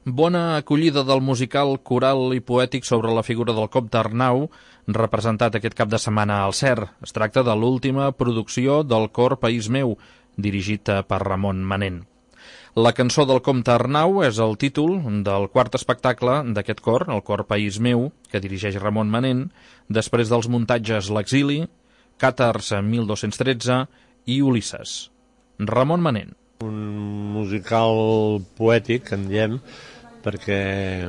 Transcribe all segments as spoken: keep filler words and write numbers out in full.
Bona acollida del musical coral i poètic sobre la figura del comte Arnau, representat aquest cap de setmana al C E R. Es tracta de l'última producció del cor País meu, dirigit per Ramon Manent. La cançó del comte Arnau és el títol del quart espectacle d'aquest cor, el cor País meu, que dirigeix Ramon Manent, després dels muntatges L'exili, Càtars mil dos-cents tretze i Ulisses. Ramon Manent. Un musical poètic, en diem, perquè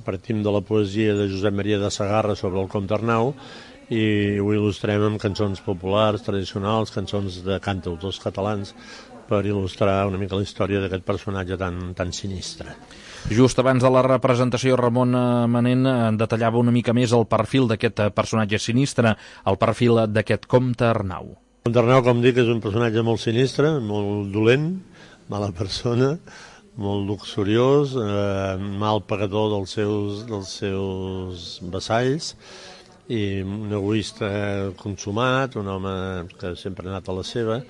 partim de la poesia de Josep Maria de Sagarra sobre el comte Arnau i ho il·lustrem amb cançons populars, tradicionals, cançons de cantautors catalans, per il·lustrar una mica la història d'aquest personatge tan, tan sinistre. Just abans de la representació, Ramon Manent detallava una mica més el perfil d'aquest personatge sinistre, el perfil d'aquest comte Arnau. El comte Arnau, com dic, és un personatge molt sinistre, molt dolent, mala persona, molt luxuriós, eh, mal pagador dels seus, dels seus vassalls i un egoista consumat, un home que sempre ha anat a la seva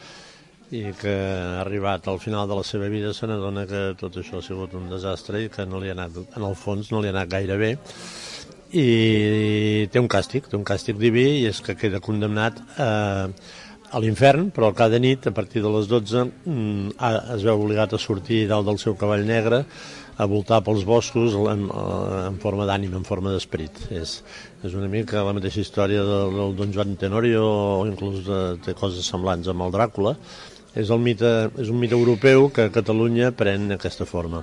i que ha arribat al final de la seva vida se n'adona que tot això ha sigut un desastre i que no li ha anat, en el fons no li ha anat gaire bé, i té un càstig, té un càstig diví, i és que queda condemnat a, a l'infern, però cada nit, a partir de les dotze, es veu obligat a sortir dalt del seu cavall negre, a voltar pels boscos en, en forma d'ànima, en forma d'esperit. És, és una mica la mateixa història del, del Don Joan Tenorio, o inclús de, té coses semblants amb el Dràcula. És, el mite, és un mite europeu que a Catalunya pren aquesta forma.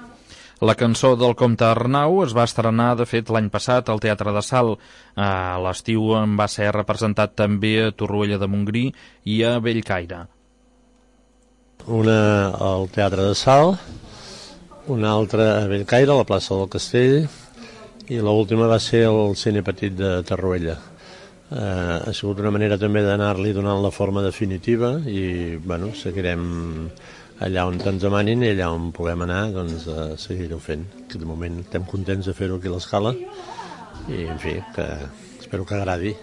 La cançó del comte Arnau es va estrenar, de fet, l'any passat al Teatre de Salt. A l'estiu en va ser representat també a Torroella de Montgrí i a Bellcaire. Una al Teatre de Salt, una altra a Bellcaire, a la plaça del Castell, i l'última va ser al Cine Petit de Torroella. Eh, ha sigut una manera també d'anar-li donant la forma definitiva i, bueno, seguirem allà on ens demanin i allà on puguem anar, doncs a seguir-ho fent. Que de moment estem contents de fer-ho aquí a l'Escala i, en fi, que espero que agradi.